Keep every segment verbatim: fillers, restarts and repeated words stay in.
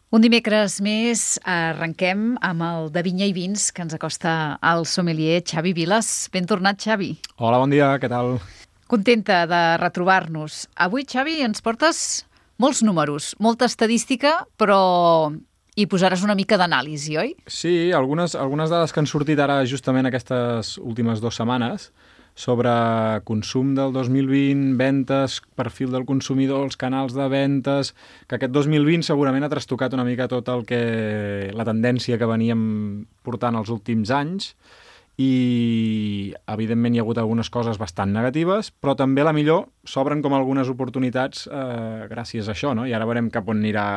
Un dimecres més arrenquem amb el de Vinya i Vins que ens acosta el sommelier Xavi Vilas. Ben tornat, Xavi. Hola, bon dia, què tal? Contenta de retrobar-nos. Avui, Xavi, ens portes molts números, molta estadística, però hi posaràs una mica d'anàlisi, oi? Sí, algunes, algunes dades que han sortit ara justament aquestes últimes dues setmanes sobre consum del dos mil vint, ventes, perfil del consumidor, els canals de ventes, que aquest dos mil vint segurament ha trastocat una mica tot el que la tendència que veníem portant els últims anys i, evidentment, hi ha hagut algunes coses bastant negatives, però també, a la millor, s'obren com algunes oportunitats eh, gràcies a això, no? I ara veurem cap on anirà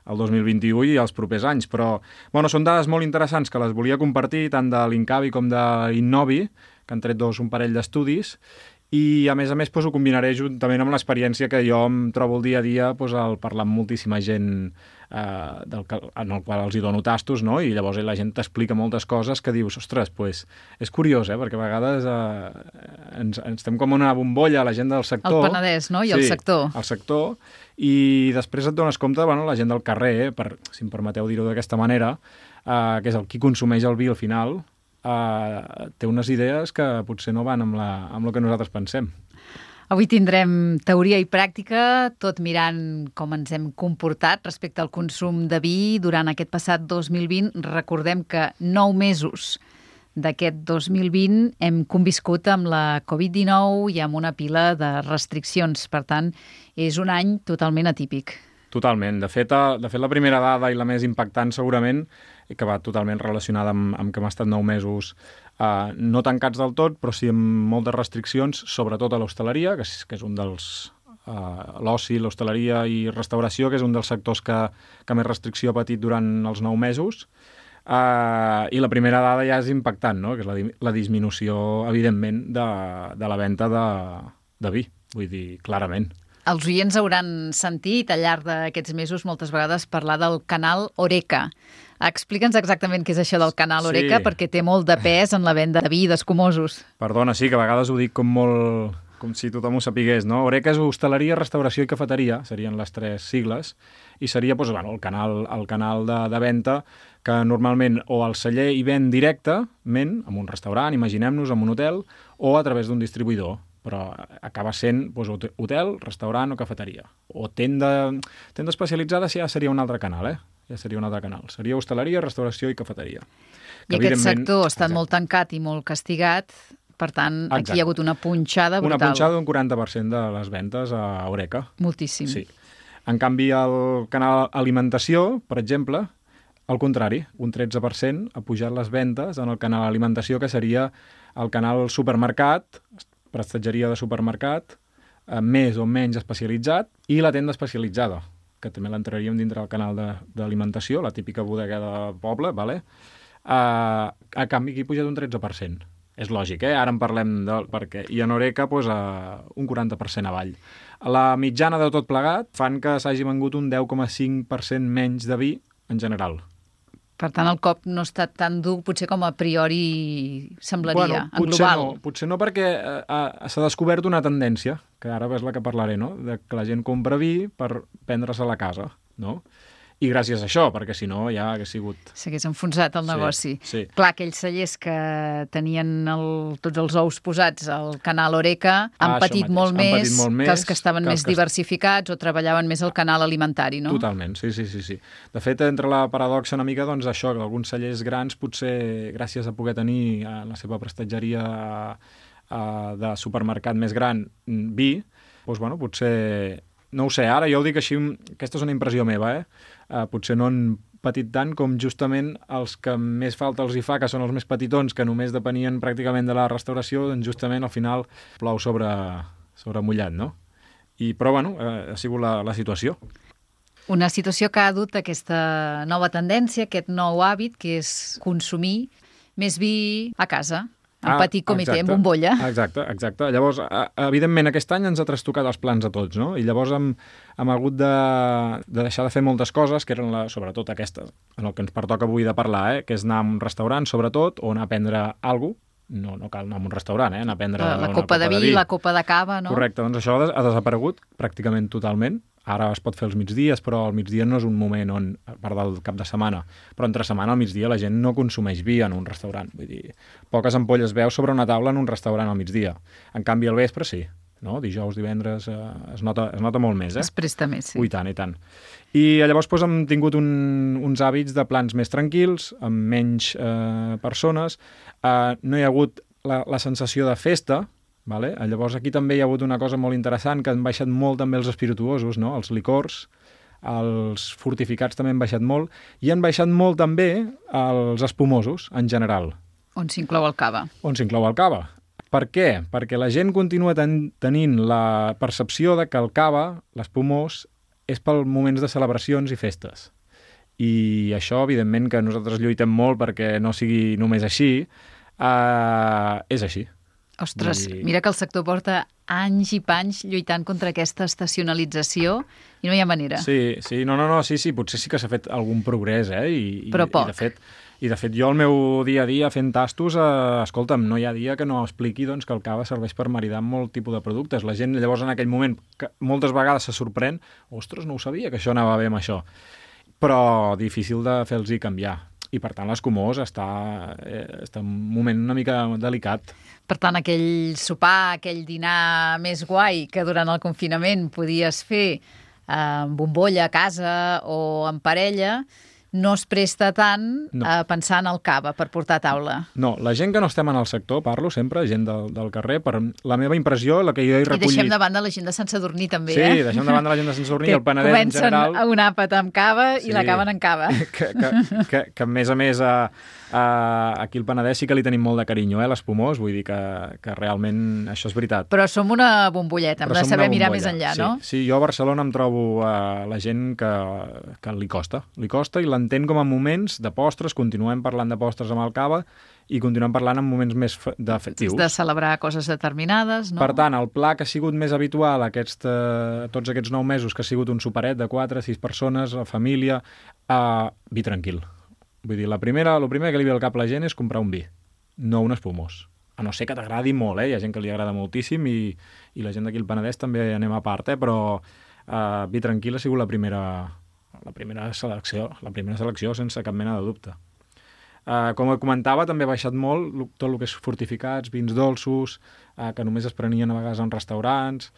el dos mil vint-i-u i els propers anys, però bueno, són dades molt interessants que les volia compartir tant de l'Incavi com de l'Innovi, que han tret dos un parell d'estudis, i a més a més doncs, ho combinaré juntament amb l'experiència que jo em trobo el dia a dia doncs, al parlar amb moltíssima gent eh, del, en el qual els hi dono tastos, no? I llavors la gent t'explica moltes coses que dius, ostres, pues, és curiós, eh? Perquè a vegades eh, ens, ens estem com una bombolla, la gent del sector. El Penedès, no? I sí, el sector. el sector, i després et dones compte, bueno, la gent del carrer, eh, per, si em permeteu dir-ho d'aquesta manera, eh, que és el qui consumeix el vi al final, Uh, té unes idees que potser no van amb, la, amb el que nosaltres pensem. Avui tindrem teoria i pràctica, tot mirant com ens hem comportat respecte al consum de vi durant aquest passat dos mil vint. Recordem que nou mesos d'aquest dos mil vint hem conviscut amb la covid dinou i amb una pila de restriccions. Per tant, és un any totalment atípic. Totalment. De fet, de fet, la primera dada i la més impactant segurament, i que va totalment relacionada amb, amb que hem estat nou mesos eh, no tancats del tot, però sí amb moltes restriccions, sobretot a l'hostaleria, que és, que és un dels... Eh, l'oci, l'hostaleria i restauració, que és un dels sectors que, que més restricció ha patit durant els nou mesos. Eh, I la primera dada ja és impactant, no? Que és la, la disminució, evidentment, de, de la venda de, de vi. Vull dir, clarament. Els oients hauran sentit al llarg d'aquests mesos moltes vegades parlar del canal Horeca. Explica'ns exactament què és això del canal Horeca, sí, perquè té molt de pes en la venda de vi d'escumosos. Perdona, sí, que a vegades ho dic com molt... com si tothom ho sapigués, no? Horeca és hostaleria, restauració i cafeteria, serien les tres sigles, i seria doncs, bueno, el canal, el canal de, de venda que normalment o el celler hi ven directament, en un restaurant, imaginem-nos, en un hotel, o a través d'un distribuïdor, però acaba sent doncs, hotel, restaurant o cafeteria. O tenda, tenda especialitzada ja seria un altre canal, eh? Ja seria un altre canal. Seria hostaleria, restauració i cafeteria. I aquest sector ha estat exacte. molt tancat i molt castigat, per tant, exacte. Aquí hi ha hagut una punxada brutal. Una punxada d'un quaranta per cent de les ventes a Horeca. Moltíssim. Sí. En canvi, el canal alimentació, per exemple, al contrari, un tretze per cent ha pujat les ventes en el canal alimentació, que seria el canal supermercat, prestatgeria de supermercat, eh, més o menys especialitzat, i la tenda especialitzada, que també l'entraríem dintre del canal d'alimentació, la típica bodega de poble, vale? eh, a canvi aquí ha pujat un tretze per cent. És lògic, eh? Ara en parlem de... perquè i en Horeca pues, eh, un quaranta per cent avall. La mitjana de tot plegat fan que s'hagi vengut un deu coma cinc per cent menys de vi en general. Per tant, el cop no ha estat tan dur, potser com a priori semblaria, bueno, en global. No, potser no, perquè eh, s'ha descobert una tendència, que ara és la que parlaré, no? De que la gent compra vi per prendre's a la casa, no? I gràcies a això, perquè si no ja hagués sigut... S'hagués enfonsat el negoci. Sí, sí. Clar, aquells cellers que tenien el, tots els ous posats al canal Horeca han, ah, patit, molt han més patit molt més que els que estaven que més que... diversificats o treballaven més el canal alimentari, no? Totalment, sí, sí, sí, sí. De fet, entre la paradoxa una mica, doncs això, que alguns cellers grans, potser gràcies a poder tenir en la seva prestatgeria eh, de supermercat més gran vi, doncs, bueno, potser... No ho sé, ara jo ho dic així, aquesta és una impressió meva, eh? Uh, potser no han patit tant com justament els que més falta els hi fa, que són els més petitons, que només depenien pràcticament de la restauració, doncs justament al final plou sobre, sobre mullat, no? I, però, bueno, uh, ha sigut la, la situació. Una situació que ha dut aquesta nova tendència, aquest nou hàbit, que és consumir més vi a casa. En ah, petit comitè, en bombolla. Exacte, exacte. Llavors, evidentment, aquest any ens ha trastocat els plans a tots, no? I llavors hem, hem hagut de, de deixar de fer moltes coses, que eren la, sobretot aquestes, en el que ens pertoca avui de parlar, eh? Que és anar a un restaurant, sobretot, o anar a prendre alguna cosa, no, no cal anar a un restaurant, eh? Anar a prendre La, la una copa de vi, vi, la copa de cava, no? Correcte, doncs això ha desaparegut pràcticament totalment. Ara es pot fer els migdies, però el migdia no és un moment on, a part del cap de setmana, però entre setmana al migdia la gent no consumeix vi en un restaurant. Vull dir, poques ampolles veus sobre una taula en un restaurant al migdia. En canvi, al vespre sí. No? Dijous, divendres, eh, es, nota, es nota molt més. Eh? Es presta més, sí. Ui, tant, i tant. I llavors doncs, hem tingut un, uns hàbits de plans més tranquils, amb menys eh, persones. Eh, no hi ha hagut la, la sensació de festa, vale? Llavors aquí també hi ha hagut una cosa molt interessant, que han baixat molt també els espirituosos, no? Els licors, els fortificats també han baixat molt, i han baixat molt també els espumosos, en general. On s'inclou el cava. On s'inclou el cava. Per què? Perquè la gent continua ten tenint la percepció de que el cava, l'espumós, és per moments de celebracions i festes. I això, evidentment, que nosaltres lluitem molt perquè no sigui només així, eh, és així. Ostres, I... mira que el sector porta anys i panys lluitant contra aquesta estacionalització i no hi ha manera. Sí, sí, no, no, no, sí, sí, potser sí que s'ha fet algun progrés, eh? I, Però i, poc. I de fet, I de fet jo el meu dia a dia fent tastos, eh, escolta'm, no hi ha dia que no expliqui doncs, que el cava serveix per maridar amb molt tipus de productes. La gent llavors en aquell moment, que moltes vegades se sorprèn, ostres, no ho sabia que això anava bé amb això. Però difícil de fer-los canviar. I per tant l'escumós està, eh, està en un moment una mica delicat. Per tant, aquell sopar, aquell dinar més guai que durant el confinament podies fer eh, amb bombolla a casa o en parella, no es presta tant no. a pensar en el cava per portar a taula. No, la gent que no estem en el sector, parlo sempre, gent del, del carrer, per la meva impressió, la que jo he recollit... I deixem de banda la gent de Sant Sadurní també, sí, eh? Sí, deixem de banda la gent de Sant Sadurní, el Penedès en general... Comencen un àpat amb cava sí, i l'acaben en cava. Que, que, que, que a més a més a, a, aquí al Penedès sí que li tenim molt de carinyo, eh, l'espumós, vull dir que, que realment això és veritat. Però som una bombolleta, hem Però de saber mirar més enllà, sí, no? Sí, jo a Barcelona em trobo uh, la gent que, que li costa, li costa i l'entén com a moments de postres, continuem parlant de postres amb el cava i continuem parlant en moments més de festius. De celebrar coses determinades, no? Per tant, el pla que ha sigut més habitual aquest, eh, tots aquests nou mesos, que ha sigut un superet de quatre, sis persones, a família, eh, vi tranquil. Vull dir, la primera, el primer que li ve al cap a la gent és comprar un vi, no un espumós. A no ser que t'agradi molt, eh? Hi ha gent que li agrada moltíssim i, i la gent d'aquí al Penedès també anem a part, eh? Però eh, vi tranquil ha sigut la primera... la primera selecció, la primera selecció sense cap mena de dubte. Uh, com comentava, també ha baixat molt tot el que és fortificats, vins dolços, uh, que només es prenien a vegades en restaurants,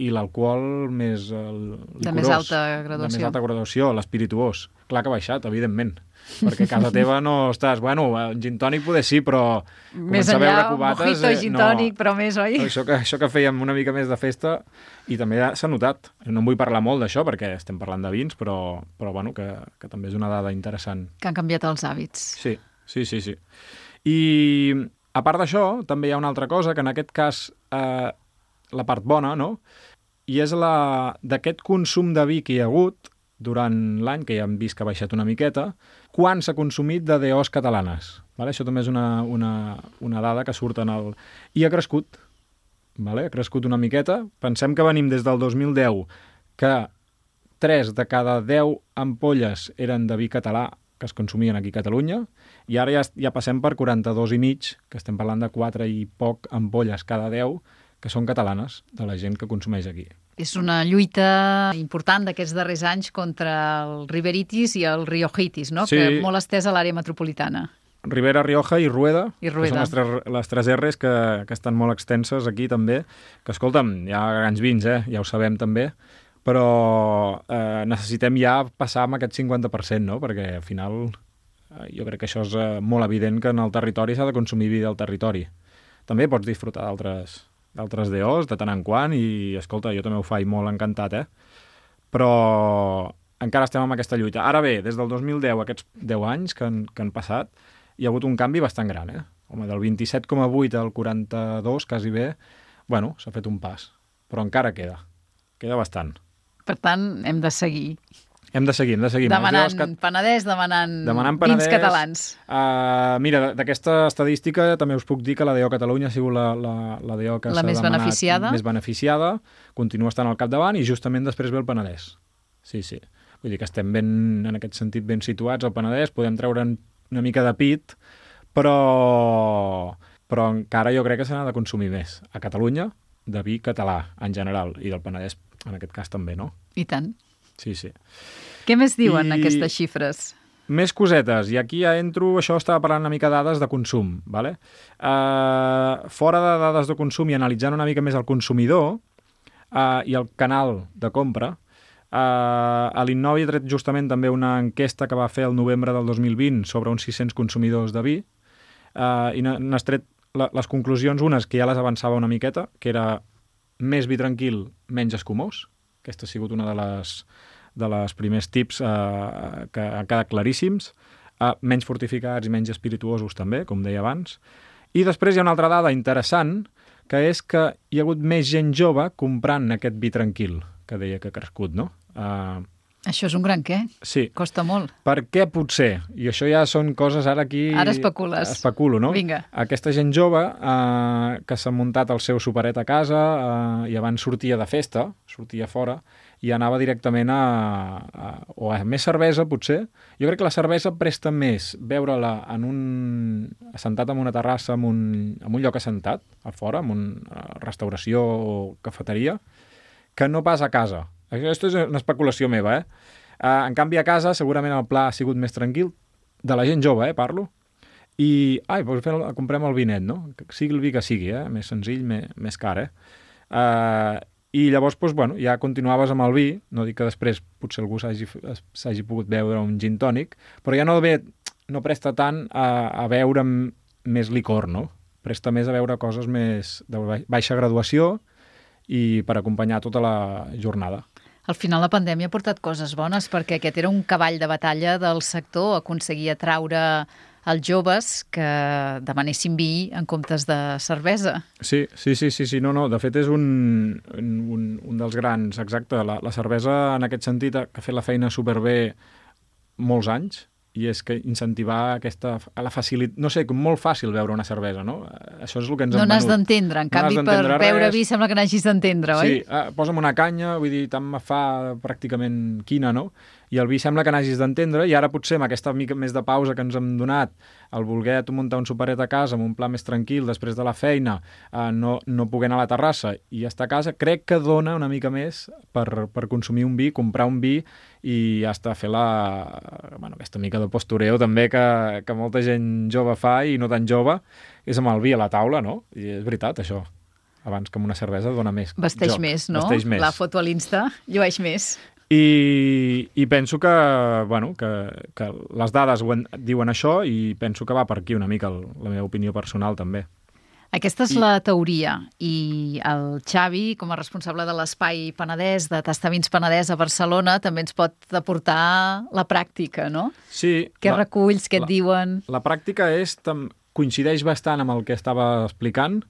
i l'alcohol més uh, licorós, de més alta graduació. De més alta graduació, l'espirituós. Clar que ha baixat, evidentment, perquè a casa teva no estàs... Bueno, un gin tònic poder sí, però... Més enllà, mojito i gin tònic, no, però més, oi? Això que, això que fèiem una mica més de festa, i també s'ha notat. No en vull parlar molt d'això, perquè estem parlant de vins, però, però bueno, que, que també és una dada interessant. Que han canviat els hàbits. Sí, sí, sí. sí. I a part d'això, també hi ha una altra cosa, que en aquest cas, eh, la part bona, no?, i és la d'aquest consum de vi que hi ha hagut durant l'any, que ja hem vist que ha baixat una miqueta, quan s'ha consumit de D Os catalanes. Vale? Això també és una, una, una dada que surt en el... I ha crescut. Vale? Ha crescut una miqueta. Pensem que venim des del dos mil deu, que tres de cada deu ampolles eren de vi català que es consumien aquí a Catalunya, i ara ja, ja passem per quaranta-dos i mig, que estem parlant de quatre i poc ampolles cada deu, que són catalanes, de la gent que consumeix aquí. És una lluita important d'aquests darrers anys contra el riberitis i el riojitis, no? Sí. Que molt estès a l'àrea metropolitana. Ribera, Rioja i Rueda, I Rueda. que són les tres, les tres R's que, que estan molt extenses aquí també, que escolta'm, hi ha grans vins, eh? Ja ho sabem també, però eh, necessitem ja passar amb aquest cinquanta per cent, no? Perquè al final eh, jo crec que això és eh, molt evident que en el territori s'ha de consumir vi del territori. També pots disfrutar d'altres d'altres D Os de tant en quant i, escolta, jo també ho faig molt encantat, eh? Però encara estem amb aquesta lluita. Ara bé, des del dos mil deu, aquests deu anys que han, que han passat, hi ha hagut un canvi bastant gran, eh? Home, del vint-i-set coma vuit al quaranta-dos, quasi bé, bueno, s'ha fet un pas. Però encara queda. Queda bastant. Per tant, hem de seguir. Hem de seguir, hem de seguir. Demanant cat... Penedès, demanant, demanant Penedès, vins catalans. Uh, mira, d'aquesta estadística també us puc dir que la D O Catalunya ha sigut la, la, la D O que s'ha més demanat beneficiada. més beneficiada, continua estant al capdavant i justament després ve el Penedès. Sí, sí. Vull dir que estem ben, en aquest sentit ben situats al Penedès, podem treure'n una mica de pit, però, però encara jo crec que se n'ha de consumir més. A Catalunya, de vi català, en general, i del Penedès, en aquest cas també, no? I tant. Sí, sí. Què més diuen I... aquestes xifres? Més cosetes, i aquí ja entro, això estava parlant una mica de dades de consum, ¿vale? Uh, fora de dades de consum i analitzant una mica més el consumidor uh, i el canal de compra, uh, a l'Innovi ha tret justament també una enquesta que va fer el novembre del dos mil vint sobre uns sis-cents consumidors de vi, uh, i n'has tret la, les conclusions, unes que ja les avançava una miqueta, que era més vi tranquil, menys escumós. Aquesta ha sigut una de les... de les primers tips eh, que han quedat claríssims, eh, menys fortificats i menys espirituosos també, com deia abans. I després hi ha una altra dada interessant, que és que hi ha hagut més gent jove comprant aquest vi tranquil, que deia que ha crescut, no? Eh, Això és un gran què? sí. Costa molt. Per què potser? I això ja són coses ara aquí... Ara especules. Especulo, no? Vinga. Aquesta gent jove eh, que s'ha muntat el seu superet a casa eh, i abans sortia de festa, sortia fora, i anava directament a, a... o a més cervesa, potser. Jo crec que la cervesa presta més veure-la en un... assentat en una terrassa, en un, en un lloc assentat, a fora, en una restauració o cafeteria, que no pas a casa. Aquesta és una especulació meva, eh? Uh, en canvi, a casa, segurament el pla ha sigut més tranquil, de la gent jove, eh, parlo, i, ai, doncs fem, comprem el vinet, no? Que sigui el vi que sigui, eh? Més senzill, més, més car, eh? Uh, I llavors, doncs, bueno, ja continuaves amb el vi, no dic que després potser algú s'hagi pogut beure un gin tònic, però ja no ve, no presta tant a, a beure més licor, no? Presta més a beure coses més de baixa graduació i per acompanyar tota la jornada. Al final la pandèmia ha portat coses bones perquè aquest era un cavall de batalla del sector, aconseguir atraure els joves que demanessin vi en comptes de cervesa. Sí, sí, sí, sí, sí. No, no, de fet és un, un, un dels grans, exacte. La, la cervesa en aquest sentit ha fet la feina superbé molts anys, i és que incentivar aquesta, a la facilitat, no sé, com molt fàcil beure una cervesa, no? Això és el que ens no han venut. No n'has d'entendre, en no canvi per beure res. Vi sembla que n'hagis d'entendre, oi? Sí, eh, posa'm una canya, vull dir, tant me fa pràcticament quina, no? I el vi sembla que n'hagis d'entendre, i ara potser amb aquesta mica més de pausa que ens hem donat, el voler tu muntar un superet a casa amb un pla més tranquil després de la feina, eh, no, no poder anar a la terrassa i estar a casa, crec que dona una mica més per, per consumir un vi, comprar un vi i hasta fer la, bueno, aquesta mica de postureo també que, que molta gent jove fa i no tan jove, és amb el vi a la taula, no? I és veritat, això. Abans que amb una cervesa dona més Vesteix joc. més, no? Vesteix més. La foto a l'Insta llueix més. I, i penso que, bueno, que, que les dades ho en, diuen això i penso que va per aquí una mica el, la meva opinió personal també. Aquesta és I... la teoria, i el Xavi, com a responsable de l'Espai Penedès, de Tastar Vins Penedès a Barcelona, també ens pot aportar la pràctica, no? Sí. Què la, reculls, què et la, diuen? La pràctica és, tam, coincideix bastant amb el que estava explicant,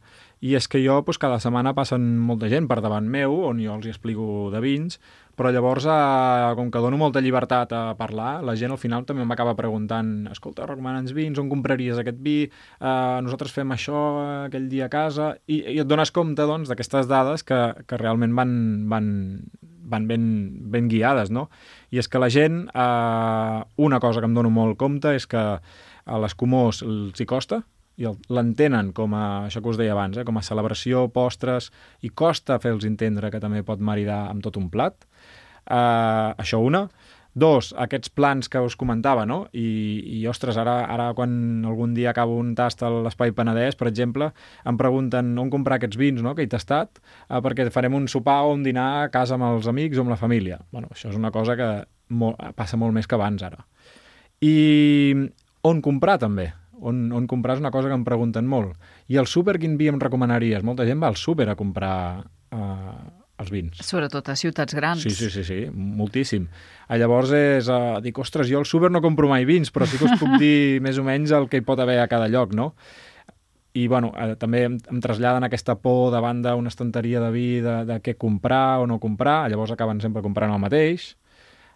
i és que jo doncs, cada setmana passen molta gent per davant meu, on jo els hi explico de vins, però llavors, eh, com que dono molta llibertat a parlar, la gent al final també m'acaba preguntant, escolta, recomana'ns vins, on compraries aquest vi? Eh, nosaltres fem això aquell dia a casa, i, i et dones compte doncs, d'aquestes dades que, que realment van, van, van ben, ben guiades, no? I és que la gent, eh, una cosa que em dono molt compte és que a l'escumós els hi costa, i l'entenen com a, això que us deia abans, eh, com a celebració, postres, i costa fer-los entendre que també pot maridar amb tot un plat. Uh, això una. Dos, aquests plans que us comentava, no? I, i ostres, ara, ara quan algun dia acabo un tast a l'Espai Penedès, per exemple, em pregunten on comprar aquests vins, no?, que he tastat, uh, perquè farem un sopar o un dinar a casa amb els amics o amb la família. Bueno, això és una cosa que molt, passa molt més que abans, ara. I on comprar, també? On, on comprar és una cosa que em pregunten molt. I al súper quin vi em recomanaries? Molta gent va al súper a comprar eh, els vins. Sobretot a ciutats grans. Sí, sí, sí, sí, moltíssim. Ah, llavors és, eh, dic, ostres, jo al súper no compro mai vins, però sí que us puc dir més o menys el que hi pot haver a cada lloc, no? I, bueno, eh, també em, em traslladen aquesta por davant d'una estanteria de vi, de, de què comprar o no comprar, llavors acaben sempre comprant el mateix.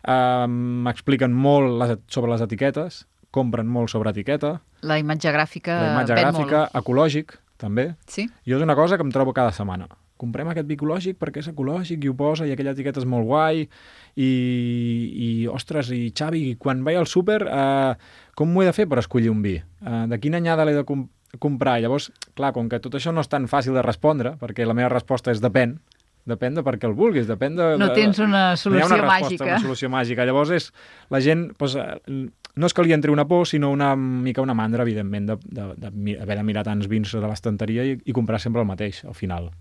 Eh, m'expliquen molt les, sobre les etiquetes, compren molt sobre etiqueta. La imatge gràfica La imatge gràfica, molt. Ecològic, també. Sí? Jo és una cosa que em trobo cada setmana. Comprem aquest vi ecològic perquè és ecològic i ho posa i aquella etiqueta és molt guai i, i ostres, i Xavi, quan vaig al súper, eh, com m'ho he de fer per escollir un vi? Eh, de quina anyada l'he de, comprar. Llavors, clar, com que tot això no és tan fàcil de respondre, perquè la meva resposta és depèn, depèn de per què el vulguis, depèn de... No tens una solució no hi ha una resposta, màgica. Una solució màgica. Llavors, és, la gent, doncs, no és que li entri una por, sinó una mica una mandra, evidentment, d'haver de mirar tants vins de l'estanteria i, i comprar sempre el mateix, al final.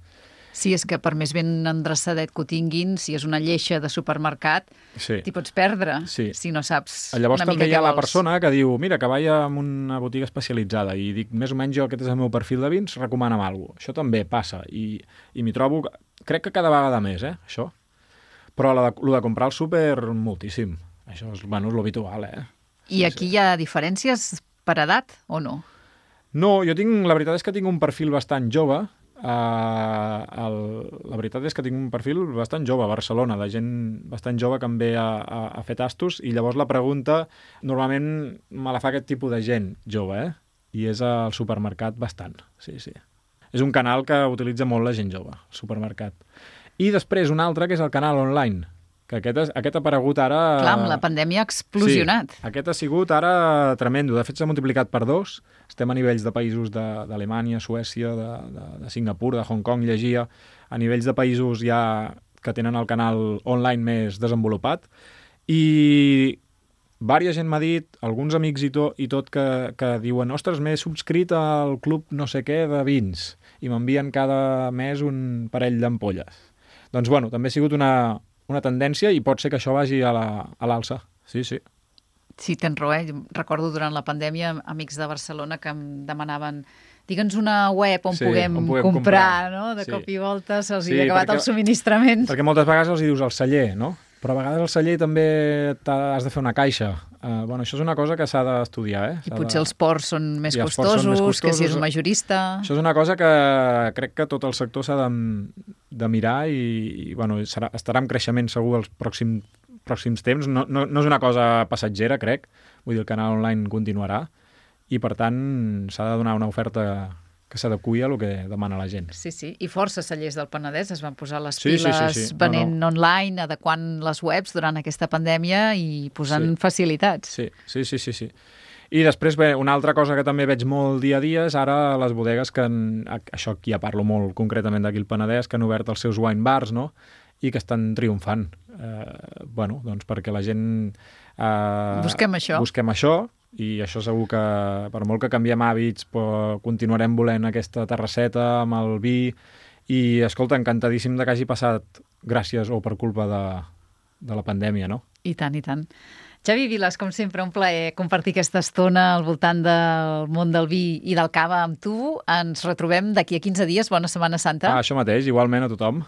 Sí, és que per més ben endreçadet que ho tinguin, si és una lleixa de supermercat, sí. t'hi pots perdre, sí. si no saps Llavors, una mica també hi ha la vols. persona que diu, mira, que vaig a una botiga especialitzada i dic, més o menys jo, aquest és el meu perfil de vins, recomana'm alguna cosa. Això també passa i, i m'hi trobo, crec que cada vegada més, eh, això. Però lo de, lo de comprar al súper, moltíssim. Això és, bueno, és l'habitual, eh? I sí, aquí sí. hi ha diferències per edat o no? No, jo tinc, la veritat és que tinc un perfil bastant jove. Uh, el, la veritat és que tinc un perfil bastant jove a Barcelona, de gent bastant jove que em ve a, a, a fer tastos, i llavors la pregunta normalment me la fa aquest tipus de gent jove, eh? I és al supermercat bastant, sí, sí. És un canal que utilitza molt la gent jove, el supermercat. I després un altre que és el canal online, que aquest, és, aquest ha aparegut ara... Clar, amb la pandèmia ha explosionat. Sí, aquest ha sigut ara tremendo. De fet, s'ha multiplicat per dos. Estem a nivells de països d'Alemanya, Suècia, de, de, de Singapur, de Hong Kong, llegia. A nivells de països ja que tenen el canal online més desenvolupat. I vària gent m'ha dit, alguns amics i, to, i tot, que, que diuen ostres, m'he subscrit al club no sé què de vins i m'envien cada mes un parell d'ampolles. Doncs, bueno, també ha sigut una... una tendència i pot ser que això vagi a l'alça. Sí, sí. Sí, tens raó, eh? Recordo durant la pandèmia amics de Barcelona que em demanaven digue'ns una web on, sí, puguem, on puguem comprar, comprar, no? De sí. cop i volta se'ls sí, havia acabat perquè, el subministrament. Perquè moltes vegades els hi dius al celler, no? Però a vegades al celler també has de fer una caixa. Uh, bueno, això és una cosa que s'ha d'estudiar, eh? I potser de... els ports són més, sí, costosos, són més costosos, que si és un majorista... Això és una cosa que crec que tot el sector s'ha de, de mirar i, i bueno, serà, estarà en creixement segur els pròxims, pròxims temps. No, no, no és una cosa passatgera, crec. Vull dir, el canal online continuarà i, per tant, s'ha de donar una oferta que s'adequi a el que demana la gent. Sí, sí. I força cellers del Penedès es van posar les sí, piles sí, sí, sí. venent no, no. online, adequant les webs durant aquesta pandèmia i posant sí. facilitats. Sí, sí, sí, sí, sí. I després, bé, una altra cosa que també veig molt dia a dia és ara les bodegues que, han, això aquí ja parlo molt concretament d'aquí al Penedès, que han obert els seus wine bars, no?, i que estan triomfant. Eh, bueno, doncs perquè la gent... Eh, busquem això. Busquem això, i això segur que, per molt que canviem hàbits, però continuarem volent aquesta terrasseta amb el vi, i, escolta, encantadíssim de que hagi passat gràcies o per culpa de, de la pandèmia, no? I tant, i tant. Xavi Viles, com sempre, un plaer compartir aquesta estona al voltant del món del vi i del cava amb tu. Ens retrobem d'aquí a quinze dies. Bona Setmana Santa. Ah, això mateix, igualment a tothom.